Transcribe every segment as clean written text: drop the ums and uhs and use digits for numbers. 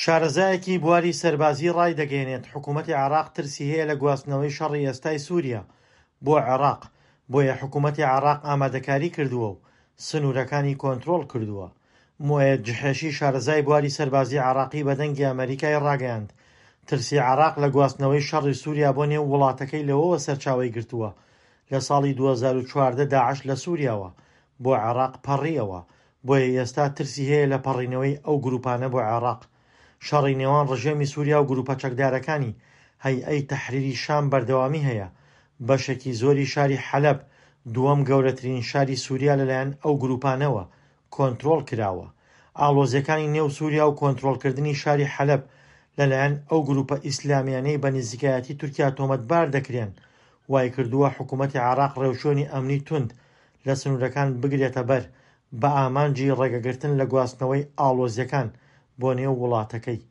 شارەزایەکی بواری سەربازی ڕایدەگەیەنێت، حکومەتی عێراق ترسی هەیە لە گواستنەوەی شەڕی ئێستای سووریا بۆ عێراق، بۆیە حکومەتی عێراق ئامادەکاری کردووە و سنوورەکانی کۆنترۆڵ کردووە. موئەیەد جحێشی شارەزای بواری سەربازی عێراقی بە دەنگی ئەمەریکای ڕاگەیاند، ترسی عێراق لە گواستنەوەی شەڕی سووریا بۆ نێو وڵاتەکەی لەوەوە سەرچاوەی گرتووە لە ساڵی 2014 داعش لە سووریاوە بۆ عێراق پەڕییەوە، بۆیە ئێستا ترسی هەیە لە پەڕینەوەی ئەو گروپانە بۆ عێراق. شەڕی نێوان ڕژێمی سووریا و گروپە چەکدارەکانی هەیئەی تەحریری شام بەردەوامی هەیە، بەشێکی زۆری شاری حەلەب، دووەم گەورەترین شاری سووریا لەلایەن ئەو گروپانەوە کۆنترۆڵ کراوە. ئاڵۆزییەکانی نێو سووریا و کۆنترۆڵکردنی شاری حەلەب لەلایەن ئەو گروپە ئیسلامییانەی بە نزیکایەتی تورکیا تۆمەتبار دەکرێن، وایکردووە حکومەتی عێراق ڕێوشوێنی ئەمنی توند لە سنوورەکان بگرێتەبەر بە ئامانجی ڕێگەگرتن لە گواستنەوەی ئاڵۆزییەکان بۆ نێو وڵاتەکەی.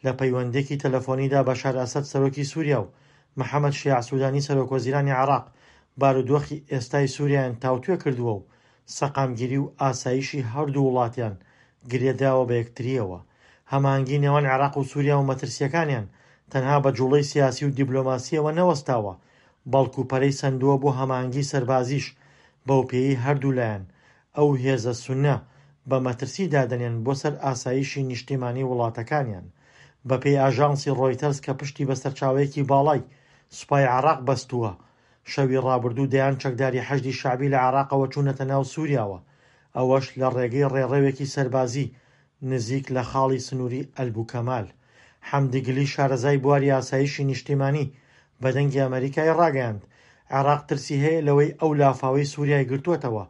لە پەیوەندییەکی تەلەفۆنیدا بەشار ئەسەد سەرۆکی سووریا و محەمەد شیاع سوودانی سەرۆکوەزیرانی عێراق بارودۆخی ئێستای سووریایان تاوتوێ کردووە و سەقامگیری و ئاسایشی هەردوو وڵاتیان گرێدراوە بە یەکترییەوە. هەماهەنگی نێوان عێراق و سووریا و مەترسییەکانیان تەنها بە جوڵەی سیاسی و دیبلۆماسییەوە نەوەستاوە، بەڵکو پەرەی سەندووە بۆ هەماهەنگی سەربازیش، بەوپێیەی هەردوولایان ئەو هێزە سوننە بە مەترسی دادەنێن بۆ سەر ئاسایشی نیشتیمانی وڵاتەکانیان. بەپێی ئاژانسی ڕۆیتەرز کە پشتی بە سەرچاوەیەکی باڵای سوپای عێراق بەستووە، شەوی ڕابردوو دەیان چەکداری حەشدی شەعبی لە عێراقەوە چوونەتە ناو سووریاوە، ئەوەش لە ڕێگەی ڕێڕەوێکی سەربازی نزیک لە خاڵی سنووری ئەلبوکەمال. حەمدی گلی شارەزای بواری ئاسایشی نیشتیمانی بە دەنگی ئەمەریکای ڕاگەیاند، عێراق ترسی هەیە لەوەی ئەو لافاوەی سووریای گرتووەتەوە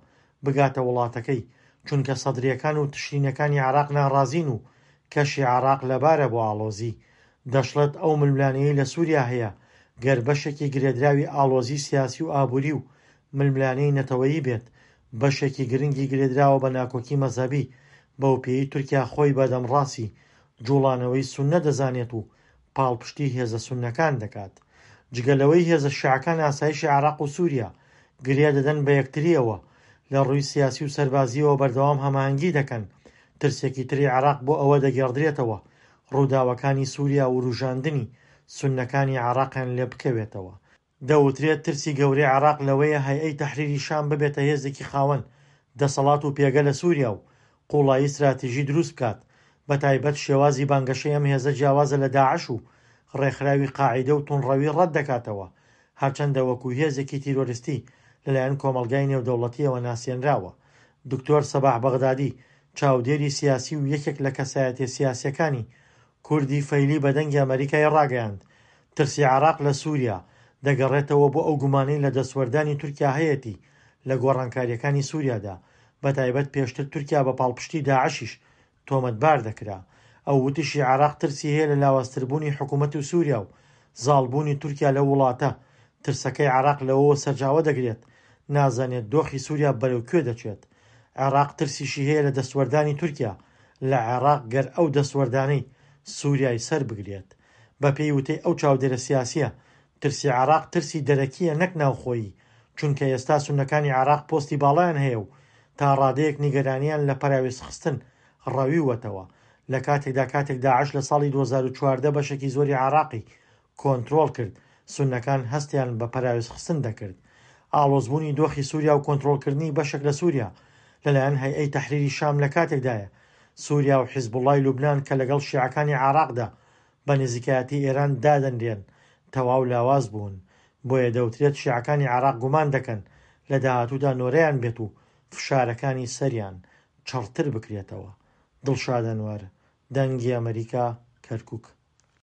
بگاتە وڵاتەکەی، چونکە سەدرییەکان و تشرینەکانی عێراق ناڕازین و کەشی عێراق لەبارە بۆ ئاڵۆزی. دەشڵێت ئەو ململانێیەی لە سووریا هەیە گەر بەشێکی گرێدراوی ئاڵۆزی سیاسی و ئابووری و ململانێی نەتەوەیی بێت، بەشێکی گرنگی گرێدراوە بە ناکۆکی مەزهەبی، بەوپێیەی تورکیا خۆی بە دەمڕاستی جوڵانەوەی سوننە دەزانێت و پاڵپشتی هێزە سوننەکان دەکات. جگە لەوەی هێزە شیعەکان ئاسایشی عێراق و سووریا گرێ دەدەن بە یەکترییەوە، لە ڕووی سیاسی و سەربازییەوە بەردەوام هەماهەنگی دەکەن، ترسێکی تری عێراق بۆ ئەوە دەگێڕدرێتەوە ڕووداوەکانی سووریا وروژاندنی سوننەکانی عێراقیان لێ بکەوێتەوە. دەوترێت ترسی گەورەی عێراق لەوەیە هەیئەی تەحریری شام ببێتە هێزێکی خاوەن دەسەڵات و پێگە لە سووریا و قوڵایی ستراتیژی دروست بکات، بەتایبەت شێوازی بانگەشەی ئەم هێزە جیاوازە لە داعش و ڕێکخراوی قاعیدە و توندڕەوی ڕەت دەکاتەوە، هەرچەندە وەکو هێزێکی تیرۆرستی لەلایەن کۆمەڵگای نێودەوڵەتییەوە ناسێنراوە. دکتۆر سەباح بەغدادی، چاودێری سیاسی و یەکێک لە کەسایەتیە سیاسیەکانی کوردی فەیلی بە دەنگی ئەمەریکای ڕاگەیاند، ترسی عێراق لە سوریا، دەگەڕێتەوە بۆ ئەو گومانەی لە دەستوەردانی تورکیا هەیەتی لە گۆڕانکارییەکانی سوریادا، بەتایبەت پێشتر تورکیا بە پاڵپشتی داعشیش تۆمەتبار دەکرا. ئەو وتیشی عێراق ترسی هەیە لە لاوازتربوونی حکومەت و سوریا و زاڵبوونی تورکیا لەو وڵاتە، ترسەکەی عێراق لەوەوە سەرجاوە دەگرێت نازانێت دۆخی سوریا بەرەو کوێ دەچێت. عێراق ترسیشی هەیە لە دەستوەردانی تورکیا لە عێراق گەر ئەو دەستوەردانەی سوریای سەر بگرێت. بەپێی وتەی ئەو چاودێرە سیاسییە، ترسی عێراق ترسی دەرەکییە نەک ناوخۆیی، چونکە ئێستا سوننەکانی عێراق پۆستی باڵایان هەیە و تا ڕادەیەک نیگەرانییان لە پەراوێزخستن ڕەویوەتەوە، لە کاتێکدا کاتێک داعش لە ساڵی 2014 بەشێکی زۆری عێراقی کۆنترۆڵ کرد، سوننەکان هەستیان بە پەراوێزخستن دەکرد. ئاڵۆزبوونی دۆخی سووریا و کۆنترۆڵکردنی بەشێک لە سووریا لەلایەن هەیئەی تەحریری شام لە کاتێکدایە سووریا و حیزبوڵڵای لوبنان کە لەگەڵ شیعەکانی عێراقدا بە نزیکایەتی ئێران دادەنرێن تەواو لاواز بوون. بۆیە دەوترێت شیعەکانی عێراق گومان دەکەن لە داهاتوودا نۆرەیان بێت و فشارەکانی سەریان چڕتر بکرێتەوە. دڵشاد ئەنوەر، دەنگی ئەمەریکا، کەرکوک.